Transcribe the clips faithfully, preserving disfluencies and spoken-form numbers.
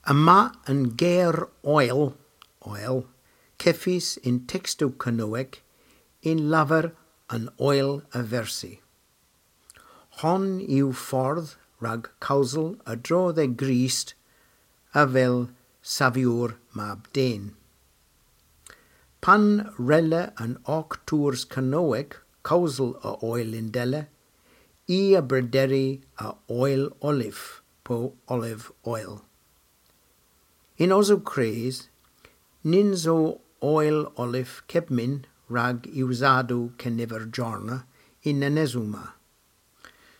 Yma an ger oil, oil, kevys yn tekstow Kernewek yn lavar an oyl a versi. Hon yw fordh rag kewsel a-dro dhe Grist avel Saviour mab den. Pan wrella an ock tours Kernewek kewsel a oyl yndella, i a brederi a oyl olive po olive oil. Yn osow kres, nyns o oyl olive kepmyn rag usadow keniver jorna y'n enesow ma.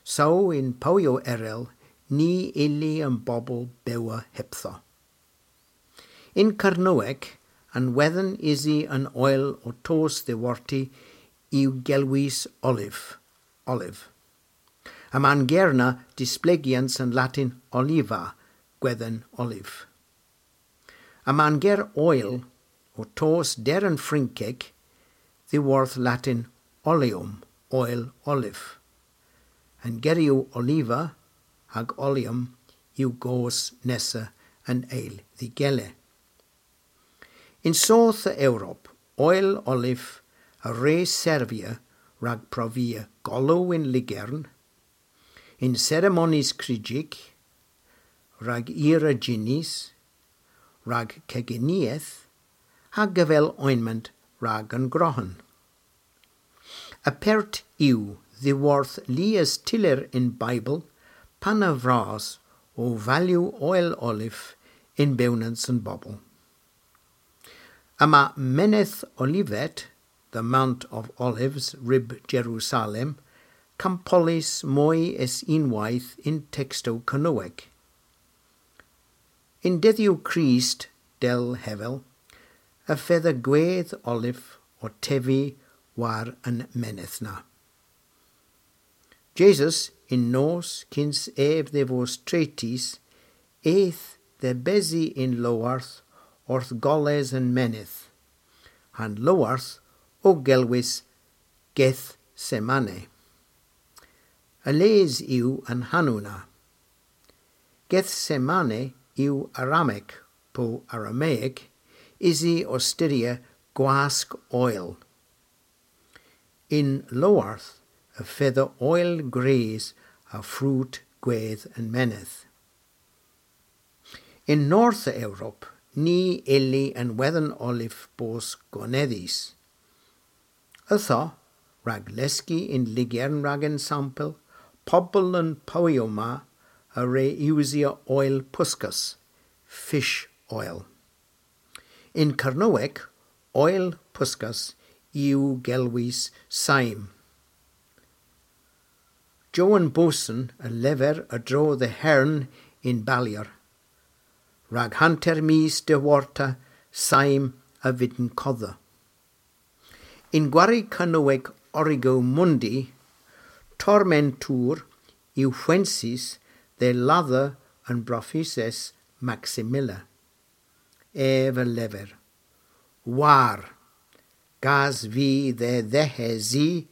Saw yn powyow erel ny ylli an bobel bewa hepdho. Yn Kernewek, an wedhen usi an oyl ow tos dhiworti yw gelwys olive, olive. Yma'n ger na displegyans an Latin oliva, gwedhen olive. Yma'n ger oyl ow tos der an Frynkek dhiworth Latin oleum, oyl olive. An geryow oliva hag oleum yw goos nessa an eyl dh'y gila. Yn soodh a Europa, oyl olive a wre servya rag provia golow yn lygern, yn seremonis kryjyk, rag ira jinnys, rag kegeneeth, hag avel ointment rag an grohen. Apert yw dhiworth lies tyller y'n Baybl pan a vras ow valyow oyl olive yn bewnans an bobel. Yma Menydh Olivet, the Mount of Olives, ryb Jerusalem, kampollys moy es unnweyth yn tekstow Kernewek. Yn dedhyow Krist, dell hevel, y fedha gwedh olive ow tevi war an menydh na. Jesus, yn nos kyns ev dhe vos tretys, eth dhe besi yn lowarth orth goles an menydh. Ha'n lowarth o gelwys Gethsemane. A les yw an hanow na. Gethsemane yw Aramyk po Arameyek, usi ow styrya gwask oyl. Yn lowarth y fedha oyl gwrys a frut gwedh an menydh. Yn north a Europa, ny ylli an wedhen olive bos gonedhys. Ytho, rag leski yn lygern rag ensampel, pobel an powyow ma a wre usya oyl puskas, fish oil. Yn Kernewek, oyl puskas yw gelwys saim. Jowan Booson a lever a-dro dhe Herne yn Ballier, rag hanter mis dhiworta saim a vydn kodha. Yn gwari Kernewek Origo Mundi, tormentour yw hwensys dhe ladha an brofyses Maximilla. Ev a lever: War, gas vy dhe dhehesi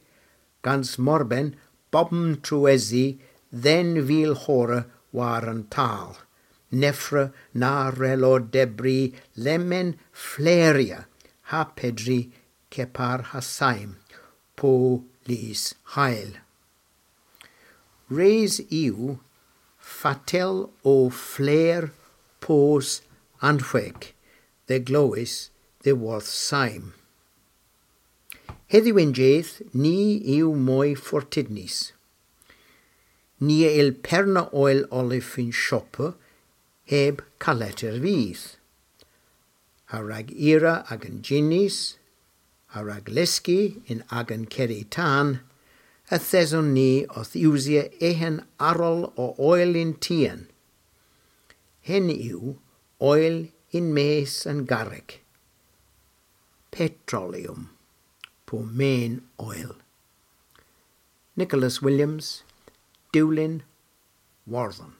gans morben bobm truesi dhe'n vil horra war an tal. Nevra na wrello dybri lemmyn flerya ha pedri kepar ha saim po lys hayl. Res yw fatel o fler pos an hweg dhe glewes dhiworth saim. Hedhyw yn jydh ni yw moy fortydnys. Ni a yll perna oyl olive yn shoppa heb kaletter vyth. Ha rag ira agan jinnys, ha rag leski yn agan kerri tan, yth eson ni owth usya ehen arall o oyl yn tien. Henn yw oyl yn-mes an garrek. Petroleum, po men oyl. Nicholas Williams, Dewlin Worthon.